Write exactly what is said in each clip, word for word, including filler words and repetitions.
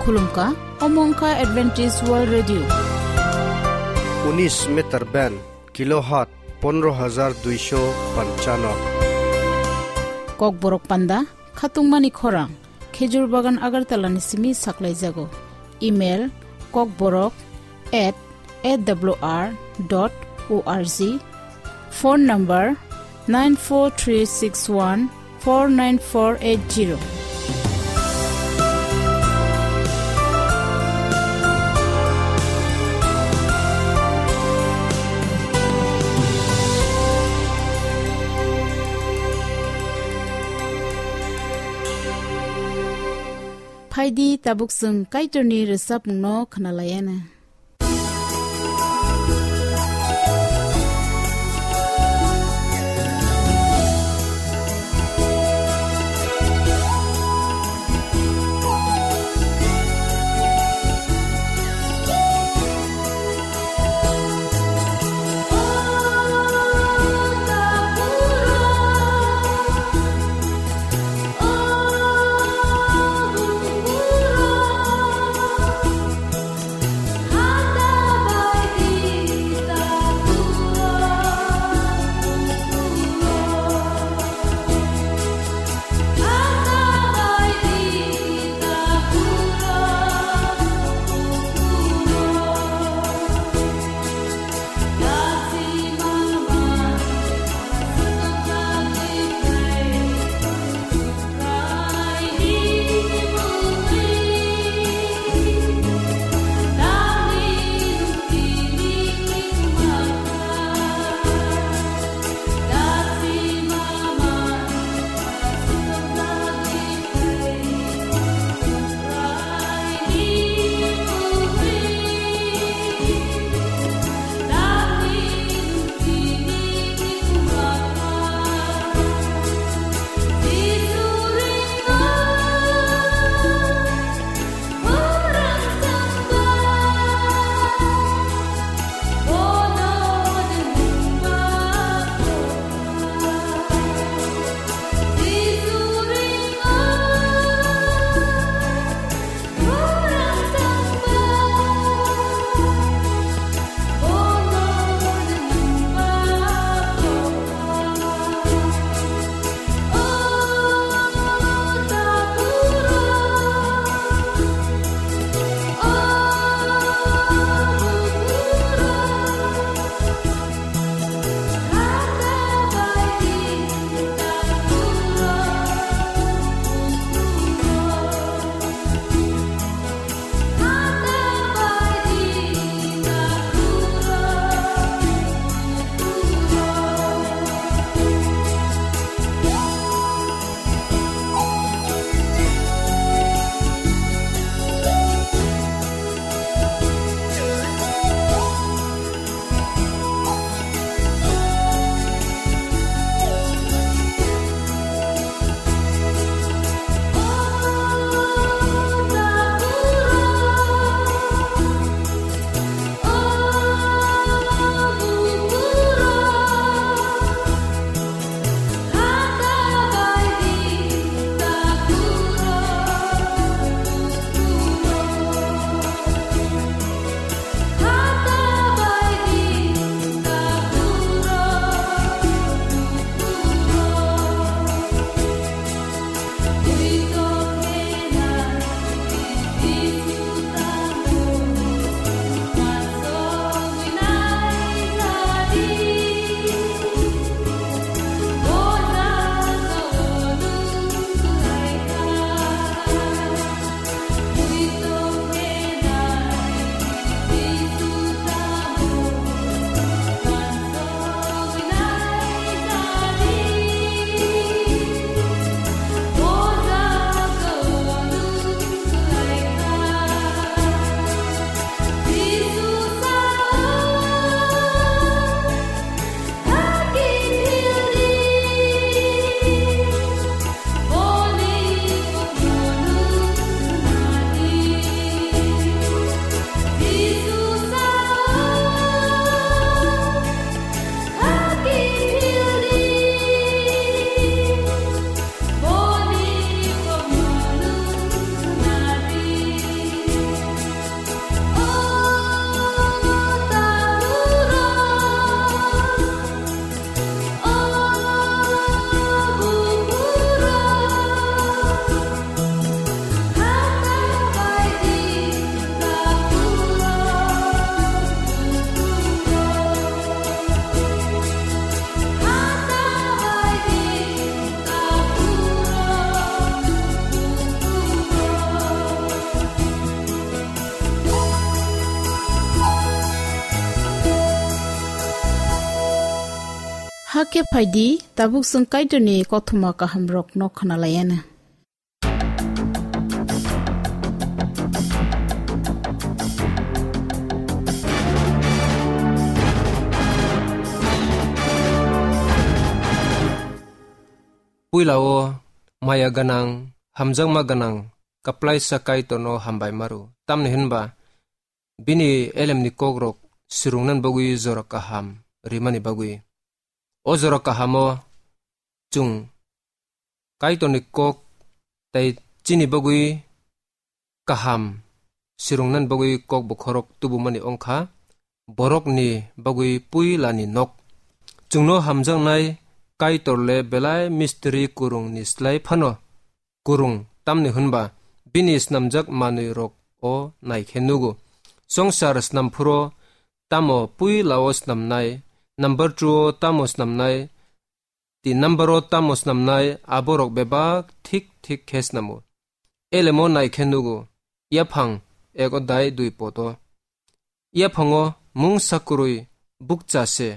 Khulumkha, omo wngkha Adventist World Radio. Unis meter band, kilohertz pondro hajar duisho panchano. Kokborok panda, khatungmani khorang, Khejur Bagan Agartala ni simi saklaijago. Email, kokborok at A W R dot O R G. Phone number nine four three six one four nine four eight zero. Phaidi tabuk chwng Kaitorni rwchapmungno khwnalaiana. Hakhe phaidi, tabuk chwng Kaitorni kothoma kahamrokno khwnalaianw. Puila o maya gwnang, hamjakma gwnang, kwplaisa Kaitorno hambai maru. Tamni hwnba, bini elemni kokrok swrwngna bagwi jora kaham rimani bagwi. O jora kahamo chwng Kaitorni kok tei chini bagwi kaham swrwngna bagwi kok bokhorok tubumani wngkha borokni bagwi puilani nok. Chwngno hamjaknai Kaitor le belai mistiri kwrwngni slai phano kwrwng, tamni hwnba bini snamjak manwi rok o naikhe nugo. Songsar snamphuro tamo puila o snamnai, number two o tamo snamnai, tin number o tamo snamnai, aborok bebak thik thik khe snamo. Elemo naikhe nugo, yaphang ek odai dui poto. Yaphango mungsa kwrwi bukcha se,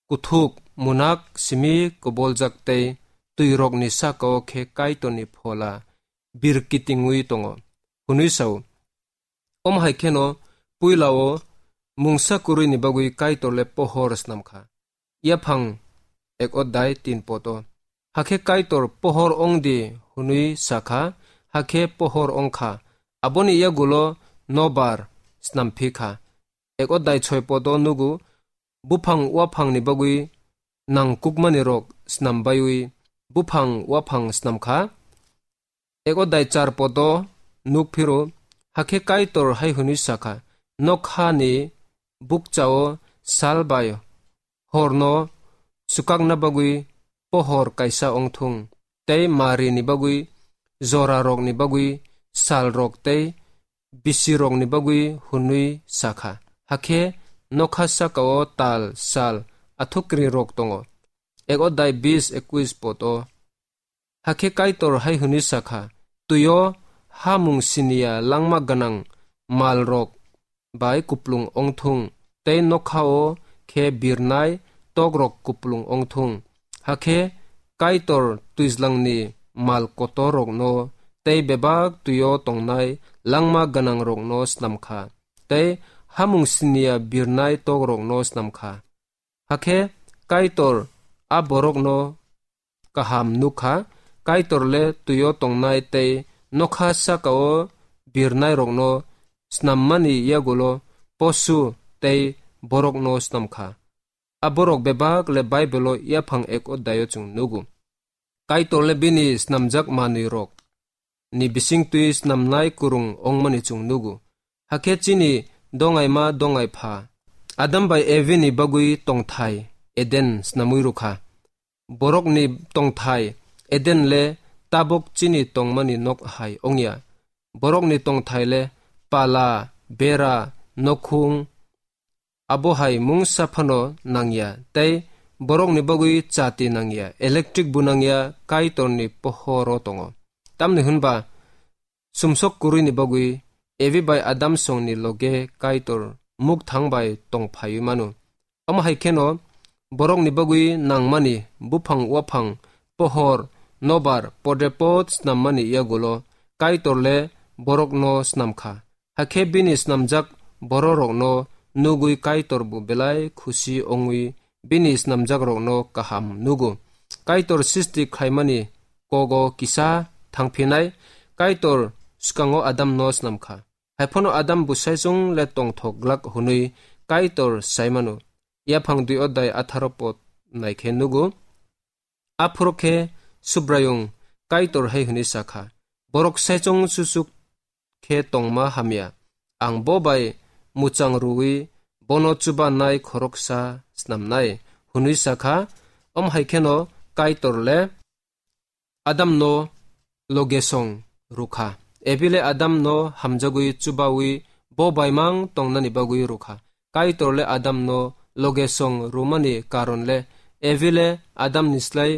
kuthuk, munak, simi koboljak tei twirokni saka-o khe Kaitorni phola birkitingwi tongo, hwnwi sao. Om hai kheno puila-o mungsa kwrwini bagwi Kaitor le pohor snam kha. Yaphang ek odai tin poto. Hakhe Kaitor pohor ong di hwnwi sa kha, hakhe pohor ong kha. Aboni yagulo nobar snam phi kha. Ek odai soi poto nugo, buphang waphangni bagwi nangkukmani rok snam baiwi buphang waphang snam kha. Ek odai char poto nuk phiro, hakhe Kaitor hai hwnwi sa kha, nokhani bukcha-o sal bai horno swkakna bagwi pohor kaisa ong thung, tei marini bagwi, jorarokni bagwi, salrok tei bisirokni bagwi hwnwi sa kha. Hakhe nokha saka-o tal, sal, athukrirok tongo. Ek odai bis ekwis poto. Hakhe Kaitor hai hwnwi sa kha, twi-o hamung siniya langma gwnang malrok bai kuplung ong thung, tei nokha-o khe birnai tokrok kuplung ong thung. Hakhe Kaitor twijlangni mal kotorrokno tei bebak twi-o tongnai langma gwnangrokno snam kha, tei hamung siniya birnai tokrokno snam kha. Hakhe Kaitor a borokno kaham nuk kha, Kaitor le twi-o tongnai tei nokha saka-o birnairokno snammani yagulo posu tei borokno snam kha. A borok bebak le Baibelo yaphang ek odai-o chwng nugo. Kaitor le bini snamjak manwirok ni bisingtwi snamnai kwrwng ongmani chwng nugo. Hakhe chini dongaima dongai pha Adam bai Evi ni bagwi tongthai Eden snamwi rwkha. Borokni tongthai Eden le tabok chini tongmani nok hai ongya. Borokni tongthai le pala, bera, nokhung, abo hai mungsa phano nangya, tei borokni bagwi chati nangya, electric bo nangya, Kaitorni pohoro tongo. Tamni hwnba, sumsok kwrwini bagwi Evi bai Adam songni loge Kaitor mukthang bai tong phaiwi mano. Omo hai kheno borokni bagwi nangmani buphang waphang, pohor, nobar, podrepot snammani yagulo Kaitor le borokno snam kha. Hakhe bini snamjak bororokno nugwi Kaitor bo belai khusi wngwi bini snamjakrokno kaham nugo. Kaitor sisti khlaimani kogo kisa thangphinai, Kaitor swkango Adamno snam kha. Haiphano Adam bwsaichung le tongthok glak hwnwi Kaitor sai mano. Yaphang dui odai atharo pod naikhe nugo. Aphuru khe Subraiyung Kaitor hai hwnwi sa kha, borok saichung chuchuk khe tongma hamya. Ang bo bai muchang rwui bono chubanai khoroksa snamnai, hwnwi sa kha. Om hai kheno Kaitor le Adamno logesong rwkha. Evi le Adamno hamjagwi chubaui bo baimang tongnani bagwi rwkha. Kaitor le Adamno logesong rwmani karon le Evi le Adamni slai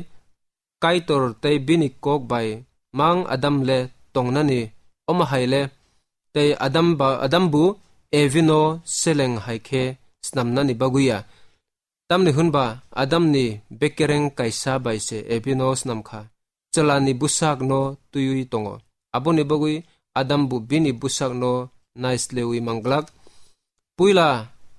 Kaitor tei bini kok bai mang Adam le tongnani, omo hai le tei Adam ba, Adam bo Evi no seleng hai khe snamnani bagwi ya. Tamni hwnba Adamni bekereng kaisa bai se Evi no snam kha, chwla ni bwsak no twiwi tongo. Aboni bagwi Adam bo bini bwsak no naislewi manglak. Puila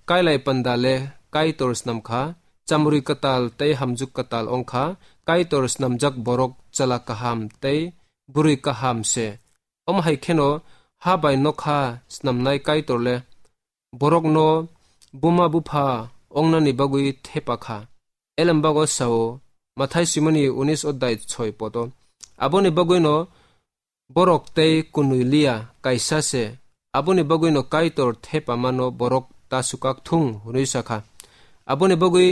kailai panda le Kaitor snam kha, chamrwi kwtal tei hamjwk kwtal wng kha, Kaitor snamjak borok chwla kaham tei bwrwi kaham se. Omo hai kheno ha bai nokha snamnai Kaitor le borokno buma bupha ongnani bagwi thepa kha. Elembago sao, Mathai simoni unis odai soi poto. Aboni bagwino borok tei kunui liya kaisa se. Aboni bagwino Kaitor thepamano borok ta sukak thung hwnwi sakha. Aboni bagwi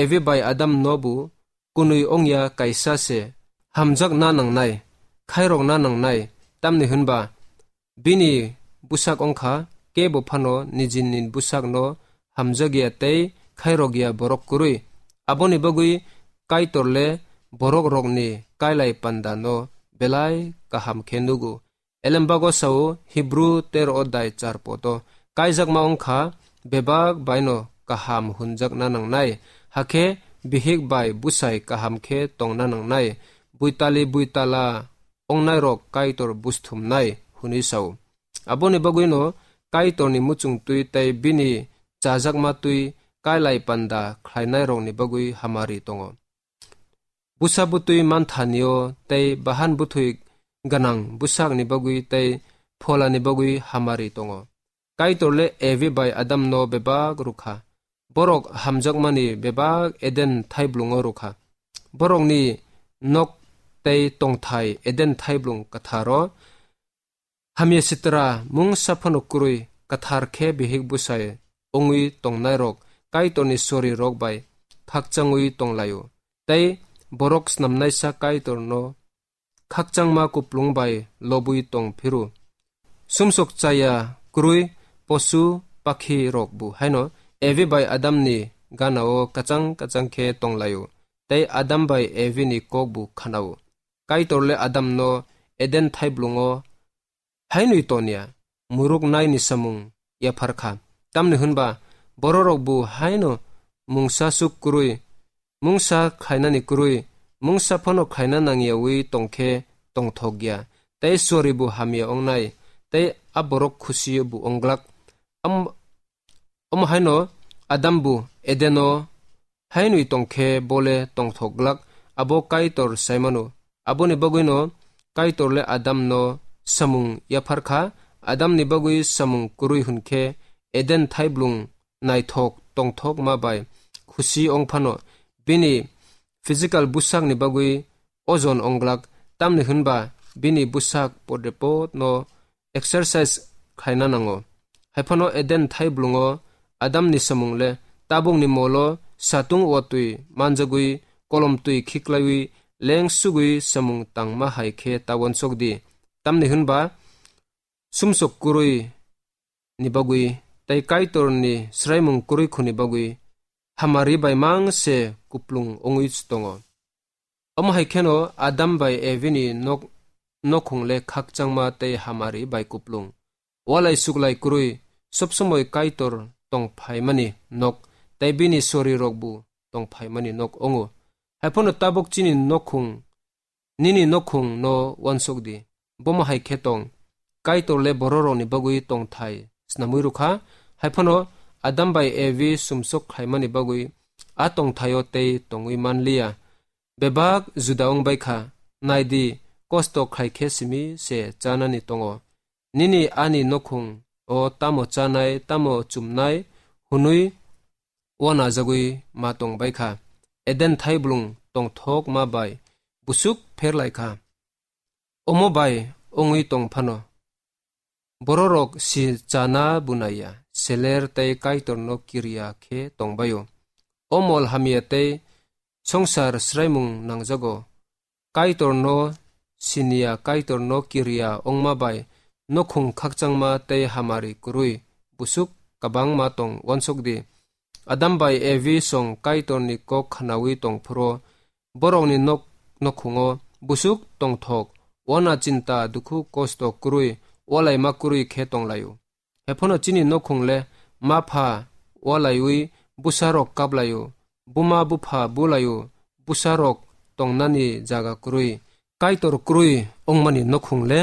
Evi bai Adam no bo kunui ongya kaisa se. Hamjak na nangnai, khairok na nangnai, tamni hwnba bini bwsak wngkha, kebo phano nijini bwsakno hamjakya tei khairokya borok kwrwi. Aboni bagwi Kaitor le borok rokni kailai panda no belai kaham khe nugo. Elembago sao Hibru tero odai char poto, kaijakma wngkha bebak baino kaham hunjakna nangnai, hakhe bihik bai bwsai kaham khe tongna nangnai, buitali buitala ongnai rok Kaitor busthumnai hwnwi sao. Aboni bagwino Kaitorni muchung twi tei bini chajakma twi kailai panda khlainai rokni bagwi hamari tongo. Bwsa bwtwi manthanio tei bahan bwthwi gwnang bwsakni bagwi tei pholani bagwi hamari tongo. Kaitor le Evi bai Adam no bebak rukha. Borok hamjakmani bebak Eden thaiblungo rukha. Borokni nok tei tongthai Eden thaiblung kwtharo. Hamya sitra mungsa phano kwrwi kwthar khe bihik bwsai wngwi tongnairok Kaitorni sori rok bai khakchangwi tonglaio, tei borok snamnaisa Kaitorno khakchangma kuplung bai lobwi tong phiru. Sumsok chaya kwrwi posu pakhi rok bo haino Evi bai Adamni ganao kachang kachang khe tonglaio, tei Adam bai Evi ni kok bo khanao. Kaitor le Adam no Eden thaiblungo hainwi tonya muruk naini samung yaphar kha. Tamni hwnba bororok bo haino mungsa suk kwrwi, mungsa khlainani kwrwi, mungsa phano khlaina nangyawi tongkhe tongthokya, tei sori bo hamya ongnai, tei a borok khusi bo ongglak. Am-, omo haino Adam bo Edeno hainwi tongkhe bole tongthok glak, abo Kaitor saimano. Aboni bagwino Kaitor le Adam no samung yaphar kha. Adam ni bagwi samung kwrwi hwnkhe Eden thaiblung naithok tongthok ma bai khusi ong phano, bini physical bwsak ni bagwi ojon ong glak, tamni hwnba bini bwsak podrepot no exercise khlaina nango. Haiphano Eden thaiblungo Adamni samung le tabukni molo satung watwi manjagwi kolom twi khiklaiwi leng sugwi samung tangma hai khe ta uansuk di. Tamni hwnba sumsok kwrwi ni bagwi tei Kaitorni swraimung kwrwi khuni bagwi hamari bai mang se kuplung wngwi tongo. Omo hai kheno Adam bai Evi ni nok-, nokhung le khakchangma tei hamari bai kuplung. Walai suklai kwrwi, sob somoi Kaitor tong phaimani nok, tei bini sori rok bo tong phaimani nok ongo. Haiphano tabuk chini nokhung, nini nokhung no uansuk di. Bomo hai khe tong, Kaitor le bororokni bagwi tongthai snamwi rwkha, haiphano Adam bai Evi sumsok khlaimani bagwi a tongthaio tei tongwi man liya. Bebak juda wng bai kha, nai di, kosto khlai khe simi se chanani tongo. Nini ani nokhung o tamo chanai, tamo chumnai hwnwi uanajagwi ma tong bai kha. Eden thaiblung tongthok ma bai busuk pher lai kha. Omo bai wngwi tong phano, bororok si chana bunaiya, seler tei Kaitorno kiriya khe tong baio. O mol hamya tei songsar swraimung nangjago. Kaitorno siniya, Kaitorno kiriya wngma bai nokhung khakchangma tei hamari kwrwi busuk kwbangma tong uansuk di. Adam bai Evi song Kaitorni kok khnawi tong phuru, borokni nok nokhungo busuk tongthok, uana chinta, dukhu, kosto kwrwi, ualaima kwrwi khe tonglaio. Haiphano chini nokhung le ma pha ualaiwi bwsarok kaplaio, buma bupha bulaio, bwsarok tongnani jaga kwrwi. Kaitor kwrwi ongmani nokhung le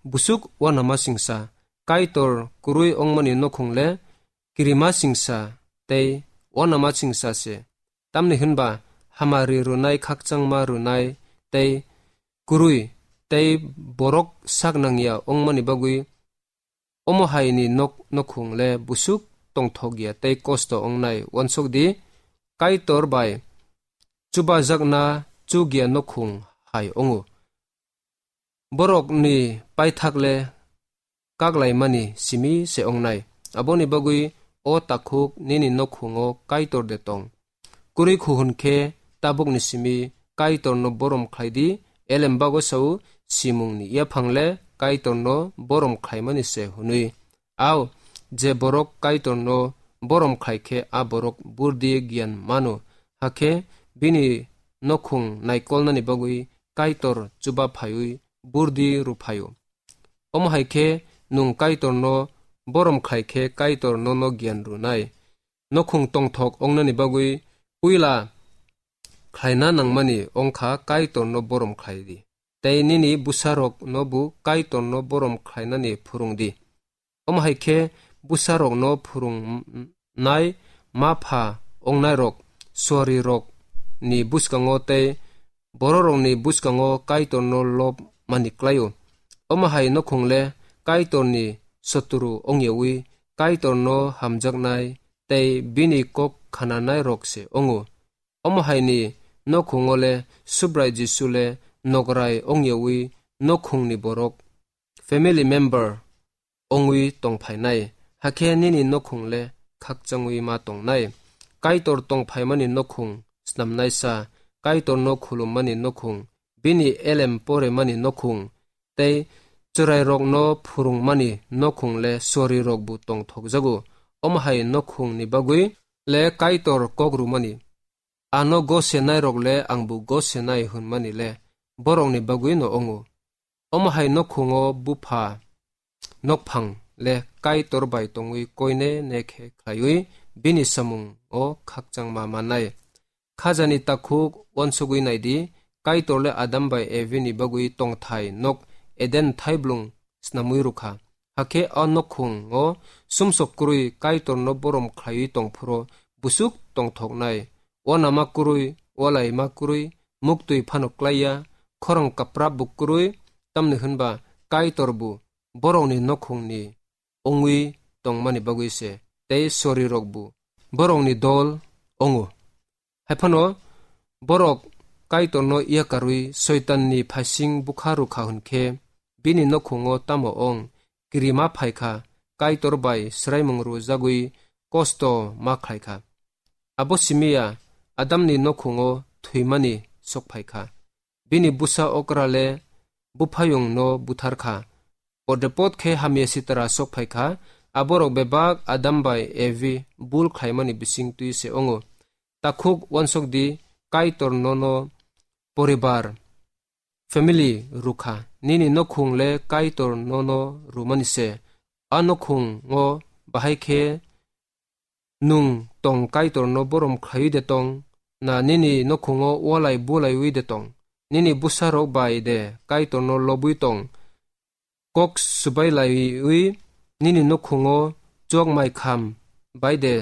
busuk uanama singsa. Kaitor kwrwi ongmani nokhung le kirima singsa tei uanama singsa se. Tamni hwnba hamari rwnai, khakchangma rwnai tei kwrwi tei borok sak nangya ongmani bagwi omo haini nok nokhung le busuk tongthok ya tei kosto ongnai. Uansuk di, Kaitor bai chubajakna chuk ya nokhung hai ongo. Borokni paithak le kaklaimani simi se ongnai. Aboni bagwi o takhuk nini nokhungo Kaitor de tong. Kwrwi khu hwn khe tabukni simi Kaitorno borom khlai di, elem bago sao, simungni yaphang le Kaitorno borom khlaimani se hwnwi. Ao, je borok Kaitorno borom khlai khe a borok burdi giyan mano, hakhe bini nokhung naikolnani bagwi Kaitor chuba phaiwi burdi rw phaio. Omo hai khe nwng Kaitorno borom khlai khe Kaitor nono giyan rwnai. Nokhung tongthok ongnani bagwi puila khlaina nangmani ongkha Kaitorno borom khlai di. Tei nini bwsarokno bo Kaitorno borom khlainani phwrwng di. Omo hai khe bwsarokno phwrwngnai ma pha ongnairok, suarirokni bwskango tei bororokni bwskango Kaitorno lob mani klaio. Omo hai nokhung le Kaitorni sotru ongyawi Kaitorno hamjaknai tei bini kok khananairok se ongo. Omo haini nokhungo le Subrai Jisu le nokrai ongyawi nokhungni borok, family member, ongwi tongphainai, hakhe nini nokhung le khakchangwi ma tongnai. Kaitor tongphaimani nokhung, snamnaisa, Kaitorno khulummani nokhung, bini elem poremani nokhung, tei chwrairokno phwrwngmani nokhung le suarirokbo tongthokjago. Omo hai nokhungni bagwi le Kaitor kok rwmani. Ano gosenairok le angbo gosenai hwnmani le borokni bagwino wngo. Omo hai nokhungo bupha nokphang le Kaitor bai tongwi koine ne khe khlaiwi bini samungo khakchangma mannai. Khajani takhuk uansugwi naidi, Kaitor le Adam bai Evi ni bagwi tongthai nok Eden thaiblung snamwi rwkha. Hakhe a nokhungo sumsok kwrwi Kaitorno borom khlaiwi tongphuru busuk tongthoknai, uanama kwrwi, ualaima kwrwi, muktwi phano klaiya, khorang kaprapbo kwrwi, tamni hwnba Kaitorbo borokni nokhungni ongwi tongmani bagwi se, tei sorirokbo borokni dol ongo. Haiphano borok Kaitorno yakarwi Soitanni phaising bukha rwkha hwnkhe, bini nokhungo tamo ong kirima phaikha, Kaitor bai swraimung rwjagwi kosto ma khlaikha. Abo simi ya Adamni nokhungo thwimani sok phaikha. Bini bwsa okra le buphayungno butharkha. Odepot khe hamya sitra sok phaikha, aborok bebak Adam bai Evi bul khlaimani bising twi se ongo. Takhuk uansuk di, Kaitor nono poribar, family, rwkha. Nini nokhung le Kaitor nono rwmani se. A nokhungo bahai khe nwng tong Kaitorno borom khlaiwi de tong, na nini nokhungo walai bulaiwi de tong, nini bwsarok bai de Kaitorno lobwi tong, kok swbai laiwi nini nokhungo chok mai kham bai de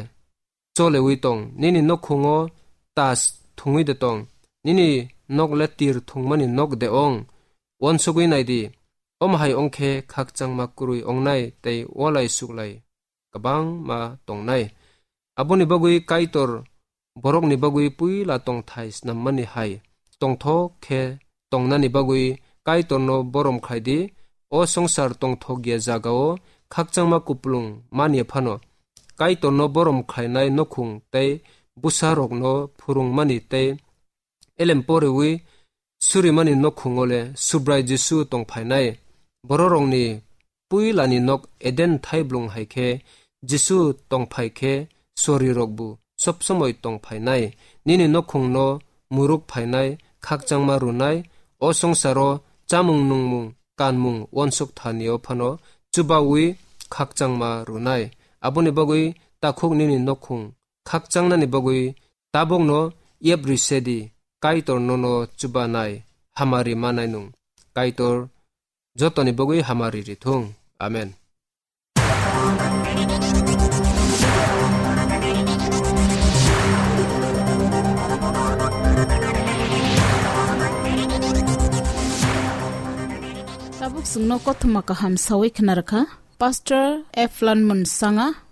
cholewi tong, nini nokhungo tas thungwi de tong, nini nok le tir thungmani nok de ong. Uansugwi nai di, omo hai ong khe khakchangma kwrwi ongnai tei walai suklai kwbangma tongnai. Aboni bagwi Kaitor borokni bagwi puila tongthai snammani hai tongthok khe tongnani bagwi Kaitorno borom khlai di. O swngchar tongthok ya jagao khakchangma kupulung man ya phano, Kaitorno borom khlainai nokhung tei bwsarokno phwrwngmani tei elem poriwi surimani nokhungo le Subrai Jisu tong phainai. Bororokni puilani nok Eden thaiblung hai khe Jisu tong phai khe sorirokbo sob somoi tong phainai. Nini nokhungno muruk phainai, khakchangma rwnai, o swngcharo chamung nungmung, kanmung, uansuk thani-o phano chubaui khakchangma rwnai. Aboni bagwi takhuk nini nokhung khakchangnani bagwi Tabukno yebri sedi, Kaitor nono chubanai, hamari manai nung. Kaitor jotoni bogwi hamari rithung. Amen. Tabuk chwngno kothoma kaham sawi khna rwkha Pastor Eflan Munsanga.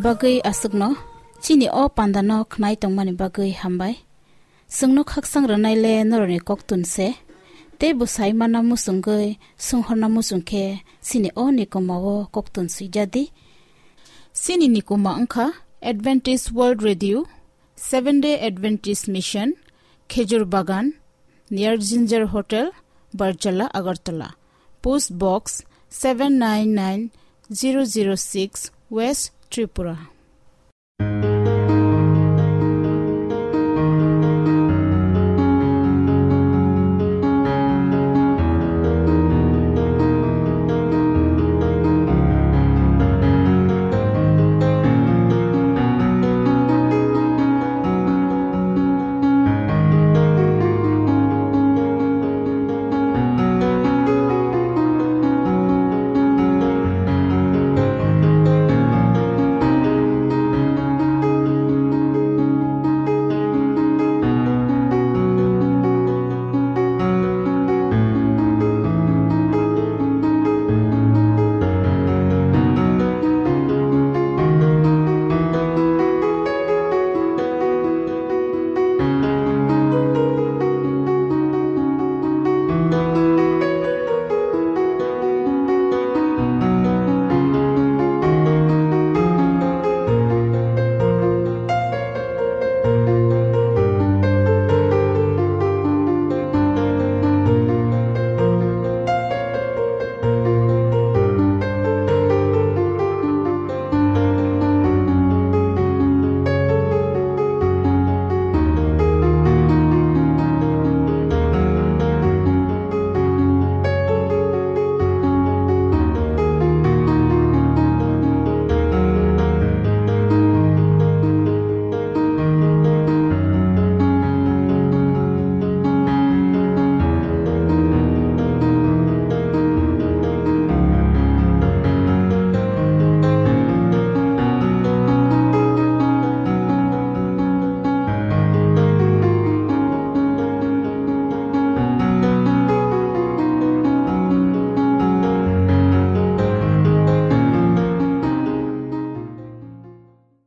Bagwi aswkno chini o pandano khnai tongmani bagwi hambai. Chwngno khakchang rwnaile norokni koktun se. Tei bwsai mana muchungwi swnghorna muchung khe chini o nikomao koktun swijadi. Chini nikoma wngkha Adventist World Radio, Seventh Day Adventist Mission, Khejur Bagan, near Ginger Hotel, Barjala, Agartala. Post Box seven nine nine zero zero six, West Tripura.